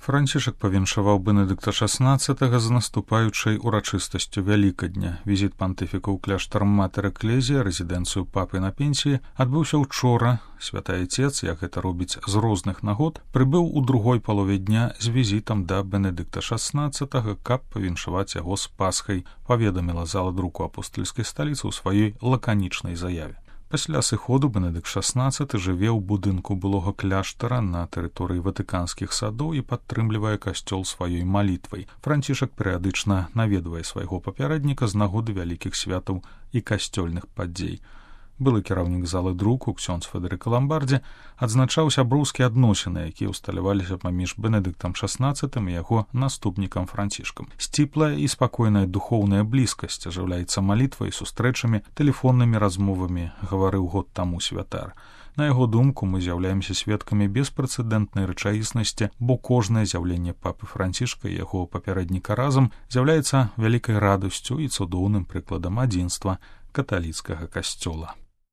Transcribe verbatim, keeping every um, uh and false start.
Францішак павіншаваў Бенедыкта шаснаццатага з наступаючай урачыстасцю Вялікадня. Візіт пантыфіка ў кляштар Матэр Экклезія, рэзідэнцыю папы на пенсіі, адбыўся ўчора. Святы Айцец, як гэта робіць з розных нагод, прыбыў у другой палове дня з візітам да Бенедыкта шаснаццатага, каб павіншаваць яго з Пасхай, паведаміла зала друку апостальскай сталіцы ў сваёй лаканічнай заяве. Пасля сыходу Бенедыкт шаснаццаты жыве ў будынку былога кляштара на тэрыторыі ватыканскіх садоў і падтрымлівае касцёл сваёй малітвай. Францішак перыядычна наведвае свайго папярэдніка з нагоды вялікіх святаў і касцёльных падзей. Былы кіраўнік залы друку, ксёндз Федэрыка Ламбардзі, адзначаў сяброўскія адносіны, якія ўсталяваліся паміж Бенедыктам шаснаццатым і яго наступнікам Францішкам. Сціплая і спакойная духоўная блізкасць ажыўляецца малітвай, сустрэчамі, тэлефоннымі размовамі, гаварыў год таму святар. На яго думку, мы з'яўляемся сведкамі беспрэцэдэнтнай рэчаіснасці, бо кожнае з'яўленне папы Францішка і яго папярэдніка разам з'яўляецца вялікай радасцю і цудоўным прыкладам адзінства каталіцкага касцёла.